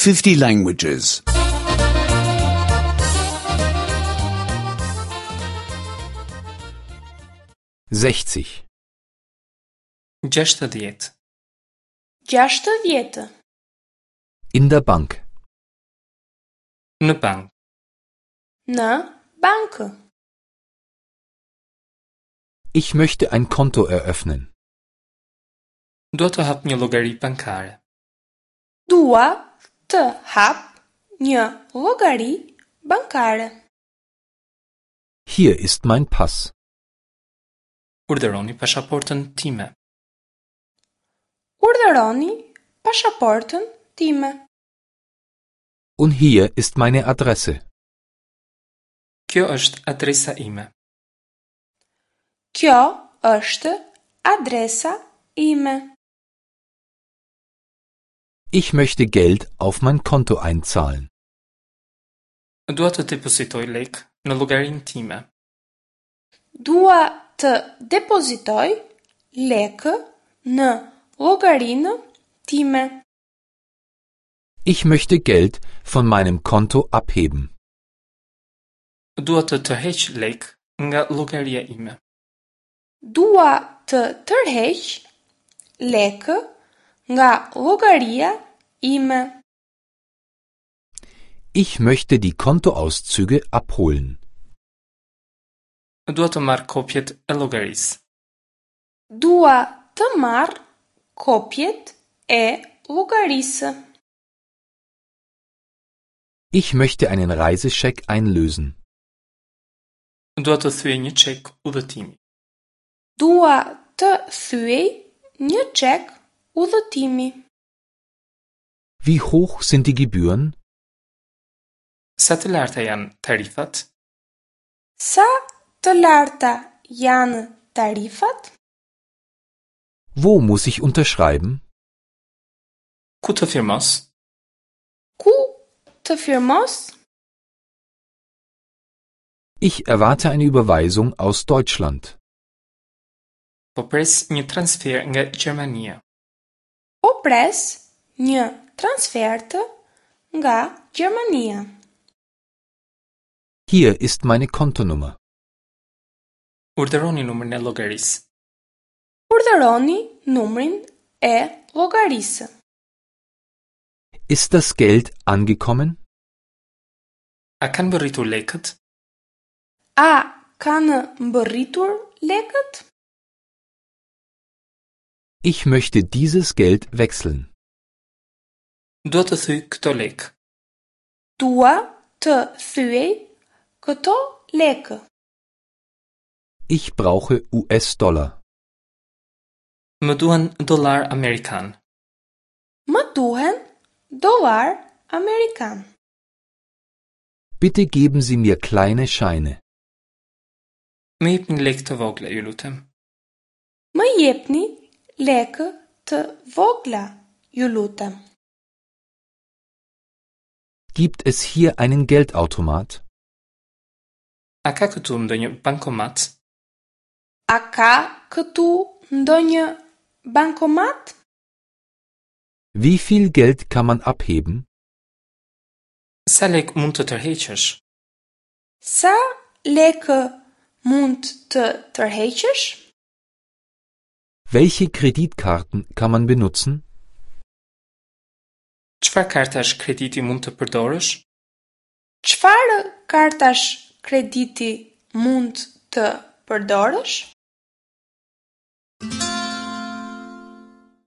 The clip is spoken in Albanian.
50 languages. 60. 60. 60. In der Bank. Në bank. Në bankë. Ich möchte ein Konto eröffnen. Dua të hap një llogari bankare. Dua të hap një llogari bankare. Hier ist mein Pass. Urdhëroni pasaportën time. Urdhëroni pasaportën time. Und hier ist meine Adresse. Kjo është adresa ime. Kjo është adresa ime. Ich möchte Geld auf mein Konto einzahlen. Dua të depozitoj lek në llogarinë time. Dua të depozitoj lekë në llogarinë time. Ich möchte Geld von meinem Konto abheben. Dua të tërheq lek nga llogaria ime. Dua të tërheq lekë nga llogaria ime. Ich möchte die Kontoauszüge abholen. Dua të marr kopjet e llogarisë. Dua të marr kopjet e llogarisë. Ich möchte einen Reisescheck einlösen. Dua të thyej një çek udhëtimi. Dua të thyej një çek udhëtimi. Wie hoch sind die Gebühren? Sa të larta janë tarifat? Sa të larta janë tarifat? Wo muss ich unterschreiben? Ku të firmos? Ku të firmos? Ich erwarte eine Überweisung aus Deutschland. Po pres një transfer nga Gjermania. Po pres një transfertë nga Gjermania. Hier ist meine Kontonummer. Urdhëroni numrin e llogarisë. Urdhëroni numrin e llogarisë. Ist das Geld angekommen? A kanë mbërritur lekët? A kanë mbërritur lekët? Ich möchte dieses Geld wechseln. Dua të thyej këto lekë. Dua të thyej këto lekë. Ich brauche US-Dollar. Më duhen dollar amerikan. Më duhen dollar amerikan. Bitte geben Sie mir kleine Scheine. Më jepni lekë të vogla, ju lutem. Më jepni lekë të vogla, ju lutem. Gibt es hier einen Geldautomat? A ka këtu ndonjë bankomat? A ka këtu ndonjë bankomat? Wie viel Geld kann man abheben? Sa lek mund të tërheqësh? Sa lekë mund të tërheqësh? Welche Kreditkarten kann man benutzen? Çfarë kartash krediti mund të përdorësh? Çfarë kartash krediti mund të përdorësh?